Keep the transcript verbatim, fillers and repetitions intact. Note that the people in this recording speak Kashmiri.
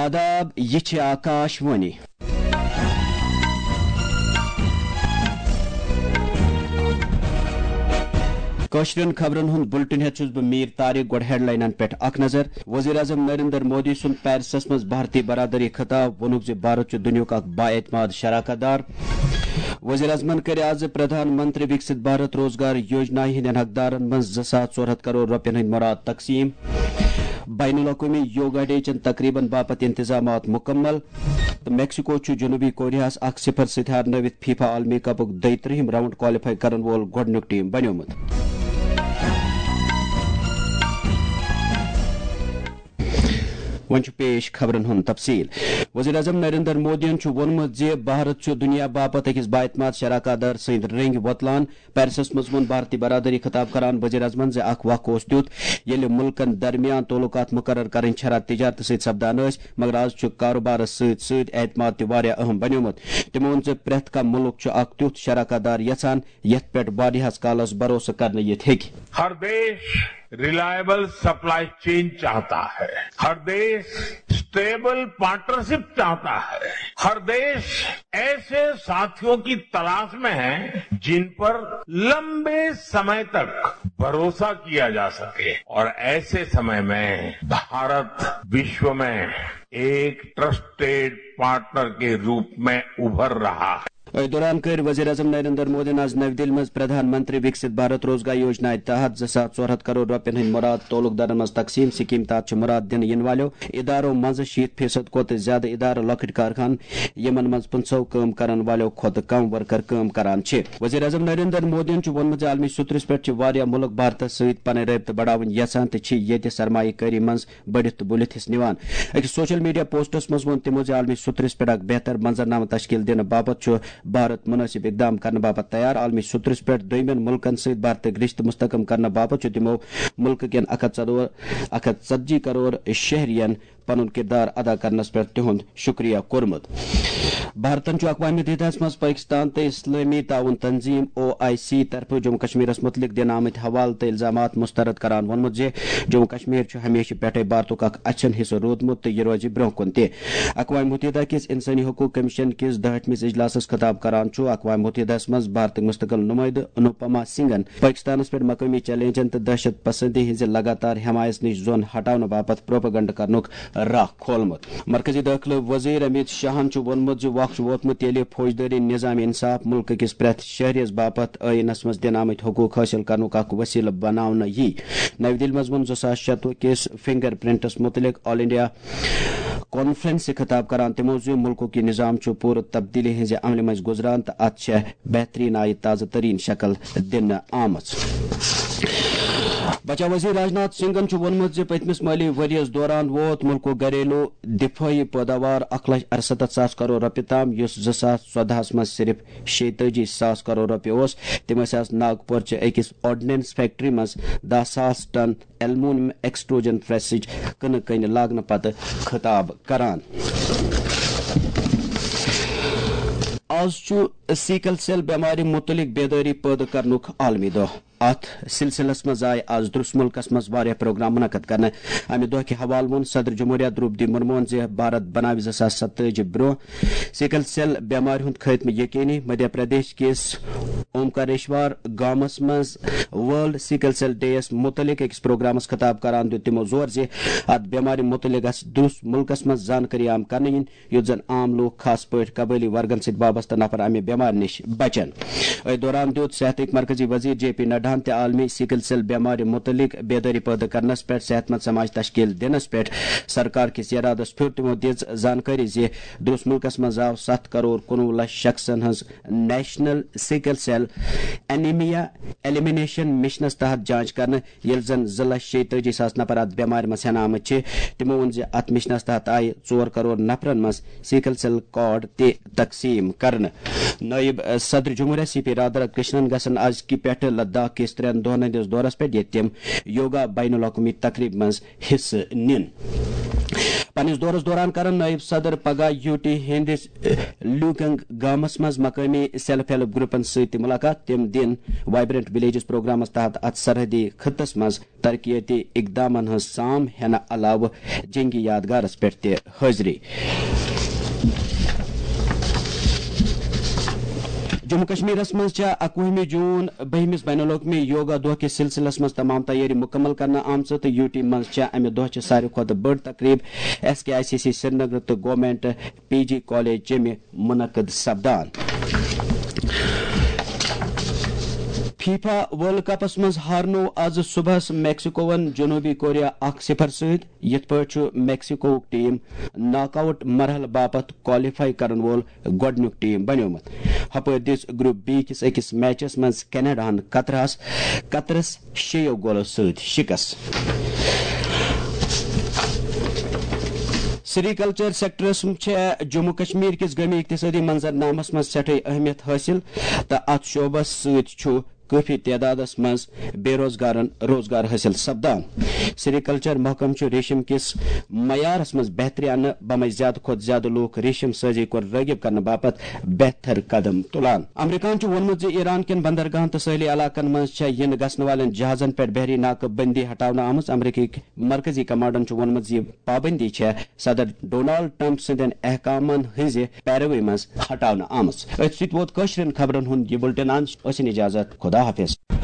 آداب، یہِ چھِ آکاش وانی۔ کٲشرٮ۪ن خبرن ہُنٛد بُلٹن ہٮ۪تھ چھُس بہٕ میٖر طارق۔ گۄڈٕ ہیڈلاینن پٮ۪ٹھ اکھ نظر۔ وزیر اعظم نریندر مودی سُنٛد پیرسس منٛز بھارتی برادری خطاب، ووٚنُکھ زِ بھارت چھُ دُنیاہُک بااعتماد شراکت دار۔ وزیر اعظمن کٔرۍ آز پردھان منتری وکست بھارت روزگار یوجنا ہٕنٛدٮ۪ن حقدارن منٛز زٕ ساس ژور ہتھ کرور رۄپین ہٕنٛدۍ مُراد تقسیٖم۔ بین الاقوٲمی یوگا ڈے چٮ۪ن تقریبن باپتھ انتظامات مکمل۔ تہٕ میکسیکو چھُ جنوبی کوریاہس اکھ صفر سۭتۍ ہارنٲوِتھ فیفا عالمی کپُک دۄیہِ ترٛہِم راؤنڈ کوالیفائی کرن وول گۄڈٕنیُک ٹیم بنیومُت۔ وۄنۍ چھُ پیش خبرن ہُنٛد تفصیل۔ وزیر اعظم نریندر مودیَن چھُ ووٚنمُت زِ بھارت چھُ دُنیا باپتھ أکِس بااعتماد شراکت دار سٕنٛدۍ رٔنٛگۍ وۄتلان۔ پیرسس منٛز ووٚن بھارتی برادری خطاب کران وزیر اعظمن زِ اکھ وق اوس تیُتھ، ییٚلہِ مُلکن درمیان تعلقات مقرر کرٕنۍ چھرا تجارتہٕ سۭتۍ سپدان ٲسۍ، مگر آز چھُ کاروبارس سۭتۍ سۭتۍ اعتماد تہِ واریاہ اہم بنیومُت۔ تِمو ووٚن زِ پرٛٮ۪تھ کانٛہہ مُلک چھُ اکھ تیُتھ شراکت دار یژھان، یتھ پٮ۪ٹھ واریاہس کالس بھروسہٕ کرنہٕ یِتھ ہیٚکہِ۔ ہر دیش ریلائبل سپلائی چین چاہتا ہے، ہر دیش اسٹیبل پارٹنرشپ چاہتا ہے، ہر دیش ایسے ساتھیوں کی تلاش میں ہے جن پر لمبے سمے تک بھروسہ کیا جا سکے، اور ایسے سمے میں بھارت وشو میں ایک ٹرسٹیڈ پارٹنر کے روپ میں ابھر رہا ہے۔ أتھۍ دوران کٔر وزیر اعظم نریندر مودیَن آز نَوِ دِلہِ منٛز پردھان منتری وکست بھارت روزگار یوجنا تحت زٕ ساس ژور ہتھ کرور رۄپین ہٕنٛدۍ مُراد تعلق دارن منٛز تقسیٖم۔ سکیٖم تحت چھِ مُراد دِنہٕ یِنہٕ والٮ۪و ادارو منٛز شیٖتھ فیصد کھۄتہٕ زیادٕ ادارٕ لۄکٕٹۍ کارخانہٕ، یِمن منٛز پٕنٛژٕہو کٲم کرن والٮ۪و کھۄتہٕ کم ورکر کٲم کران چھِ۔ وزیر اعظم نریندر مودیَن چھُ ووٚنمُت زِ عالمی سطحس پٮ۪ٹھ چھِ واریاہ مُلک بھارتس سۭتۍ پنٕنۍ رٲبطہٕ بڑاوٕنۍ یژھان تہٕ چھِ ییٚتہِ سرمایہ کٲری منٛز بٔڑِتھ تہٕ بُلِتھ حصہٕ نِوان۔ أکِس سوشل میڈیا پوسٹس منٛز ووٚن تِمو زِ عالمی سطحس پٮ۪ٹھ اکھ بہتر منظرنامہٕ تشکیل دِنہٕ باپتھ چھُ بھارت مناسب اقدام کرنہٕ باپتھ تیار۔ عالمی سطحس پٮ۪ٹھ دوٚیمٮ۪ن مُلکن سۭتۍ بھارتٕکۍ رشتہٕ مستحکم کرنہٕ باپتھ چھُ تِمو مُلکہٕ کٮ۪ن اکھ ہتھ ژۄدہ، اکھ ہتھ ژتجی کرور شہرین پنُن کردار ادا کرنس پٮ۪ٹھ تِہُنٛد شکریہ کوٚرمُت۔ بھارتن چھُ اقوام متحدہس منٛز پٲکستان تہٕ اسلٲمی تعاون تنظیم، او آئی سی، طرفہٕ جموں کشمیرس متعلق دِنہٕ آمٕتۍ حوالہٕ تہٕ الزامات مسترد کران ووٚنمُت زِ جموں کشمیر چھُ ہمیشہٕ پٮ۪ٹھے بھارتُک اکھ اچھن حصہٕ روٗدمُت تہٕ یہِ روزِ برٛونٛہہ کُن تہِ۔ اقوام متحدہ کِس انسٲنی حقوق کمیشن کِس دُہٲٹھمِس اجلاسس خطاب کران چھُ اقوام متحدہس منٛز بھارتٕکۍ مستقل نُمٲیدٕ انوپما سنگھن پٲکستانس پٮ۪ٹھ مقٲمی چیلنجن تہٕ دہشت پسندی ہٕنٛزِ لگاتار حمایت نِش زۄن ہٹاونہٕ باپتھ پروپیگنڈہ کرنُک راہ کھولمُت۔ مرکزی دٲخلہٕ وزیر امیت شاہن چھُ ووٚنمُت زِ وقت چھُ ووتمُت، ییٚلہِ فوجدٲری نظام انصاف مُلکہٕ کِس پرٛٮ۪تھ شہریَس باپتھ ٲیٖنَس منٛز دِنہٕ آمٕتۍ حقوٗق حٲصِل کرنُک اکھ وسیلہٕ بناونہٕ یِیہِ۔ نَوِ دِلہِ منٛز ووٚن زٕ ساس شتوُہ کِس فنگر پرنٹس مُتعلق آل انڈیا کانفرنسہِ خطاب کران تِمو زِ مُلکُک یہِ نظام چھُ پوٗرٕ تبدیلی ہٕنٛزِ عملہِ منٛزۍ گُزران تہٕ اتھ چھےٚ بہترین آیہِ تازٕ ترین شکل دِنہٕ آمٕژ۔ بچاو وزیر راجناتھ سنگھن چھُ ووٚنمُت زِ پٔتمِس مٲلی ؤرۍ یَس دوران ووت مُلکُک گھریلو دِفٲعی پٲداوار اکھ لچھ ارستتھ ساس کرور رۄپیہِ تام، یُس زٕ ساس ژۄدہَس منٛز صرف شیٚیہِ تٲجی ساس کرور رۄپیہِ اوس۔ تِم ٲسۍ آز ناگپور چہِ أکِس آرڈننس فیکٹری منٛز دَہ ساس ٹن ایلومینیم ایکسٹروجن پریسٕچ کٕنہٕ کٔنۍ لاگنہٕ پتہٕ خطاب کران۔ آز چھُ سیکل سیل بٮ۪مارِ مُتعلق بیدٲری پٲدٕ کرنُک عالمی دۄہ۔ اتھ سلسلس منٛز آیہِ آز درس ملکس منٛز واریاہ پروگرام منعقد کرنہٕ۔ امہِ دۄہ کہِ حوالہٕ ووٚن صدر جمہوریہ درٛوپدی مرموہن زِ بھارت بناوِ زٕ ساس ستٲجی برٛونٛہہ سیکل سیل بٮ۪مارِ ہُنٛد خٲتمہٕ یقینی۔ مدھیہ پردیش کِس اومکاریشور گامس منٛز ورلڈ سیکل سیل ڈے یَس مُتعلق أکِس پروگرامس خطاب کران دیُت تِمو زور زِ اتھ بٮ۪مارِ مُتعلق گژھِ درس ملکس منٛز زانکٲری عام کرنہٕ یِنۍ، یُتھ زن عام لوٗکھ، خاص پٲٹھۍ قبٲئلی ورگن سۭتۍ وابستہٕ نفر، امہِ بٮ۪مارِ نِش بچن۔ أتھۍ دوران دیُت صحتٕکۍ مرکزی وزیر جے پی نڈاہن تہِ عالمی سیکل سیل بٮ۪مارِ مُتعلق بیدٲری پٲدٕ کرنس پٮ۪ٹھ صحت مند سماج تشکیل دِنس پٮ۪ٹھ سرکار کِس ارادس پھیُر۔ تِمو دِژ زانکٲری زِ درٛوس مُلکس منٛز آو ستھ کرور کُنوُہ لچھ شخصن ہٕنٛز national sickle cell anaemia elimination مشنس تحت جانچ کرنہٕ، ییٚلہِ زن زٕ لچھ شیٚیہِ تٲجی ساس نفر اتھ بٮ۪مارِ منٛز ہٮ۪نہٕ آمٕتۍ چھِ۔ تِمو ووٚن زِ اتھ مشنس تحت آیہِ ژور کرور نفرن منٛز سیکل سیل کارڈ تہِ تقسیٖم کرنہٕ۔ نٲیِب صدر جمہوریہ سی پی رادھا کرشنن گژھن ازکہِ پٮ۪ٹھٕ لداخ کِس ترٛٮ۪ن دۄہن ہٕنٛدِس دورس پٮ۪ٹھ، ییٚتہِ تِم یوگا بین الاقوٲمی تقریبہِ منٛز حصہٕ نِن۔ پننِس دورس دوران کرن نٲیِب صدر پگاہ یوٗ ٹی ہٕنٛدِس لوٗکنگ گامس منٛز مقٲمی سیلف ہیلپ گروپن سۭتۍ تہِ مُلاقات۔ تِم دِن وائبرنٹ ولیجز پروگرامس تحت اتھ سرحدی خطس منٛز ترقیتی اقدامن ہٕنٛز سام ہینہٕ علاوٕ جنگی یادگارس پٮ۪ٹھ تہِ حٲضری۔ جموں کشمیرس منٛز چھےٚ اکوُہمہِ جوٗن بٔہمِس بین الاقوٲمی یوگا دۄہ کِس سلسلس منٛز تمام تیٲری مُکمل کرنہٕ آمژٕ تہٕ یوٗ ٹی منٛز چھےٚ امہِ دۄہ چہِ ساروی کھۄتہٕ بٔڑ تقریب S K I C C Srinagar تہٕ گورنمنٹ پی جی کالج جیٚمہِ منعقد سپدان۔ فیفا ورلڈ کپس منٛز ہارنوو از صبحس میکسیکوون جنوبی کوریا اکھ صفر سۭتۍ۔ یِتھ پٲٹھۍ چھُ میکسیکووُک ٹیم ناک آؤٹ مرحلہٕ باپتھ کوالیفائی کرن وول گۄڈٕنیُک ٹیم بنیومُت۔ ہپٲرۍ دِژ گروپ بی کِس أکِس میچس منٛز کینیڈاہن قطرس قطرس شیٚیو گولو سۭتۍ شکست۔ سری کلچر سیکٹرس چھےٚ جموں کشمیر کِس گٲمی اقتصٲدی منظرنامس منٛز سٮ۪ٹھٕے اہمیت حٲصِل تہٕ اتھ شعبس سۭتۍ چھُ کٲفی تعدادس منٛز بے روزگارن روزگار حٲصِل سپدان۔ سری کلچر محکمہٕ چھُ ریشم کِس معیارس منٛز بہتری اننہٕ بمے زیادٕ کھۄتہٕ زیادٕ لوٗکھ ریشم سٲزی کُن رٲغب کرنہٕ باپتھ بہتر قدم تُلان۔ امریکہن چھُ ووٚنمُت زِ ایران کٮ۪ن بندرگاہن تہٕ سٲحلی علاقن منٛز چھےٚ یِنہٕ گژھنہٕ والٮ۪ن جہازن پٮ۪ٹھ بحری ناکہ بندی ہٹاونہٕ آمٕژ۔ امریکہٕٕ کہِ مرکزی کمانڈن چھُ ووٚنمُت زِ یہِ پابندی چھےٚ صدر ڈونالڈ ٹرمپ سٕنٛدٮ۪ن احکامن ہٕنٛزِ پیروی منٛز ہٹاونہٕ آمٕژ۔ أتھۍ سۭتۍ ووت کٲشرٮ۪ن خبرن ہُنٛد یہِ بُلٹن اند۔ ٲسِن اجازت، خدا حافظ۔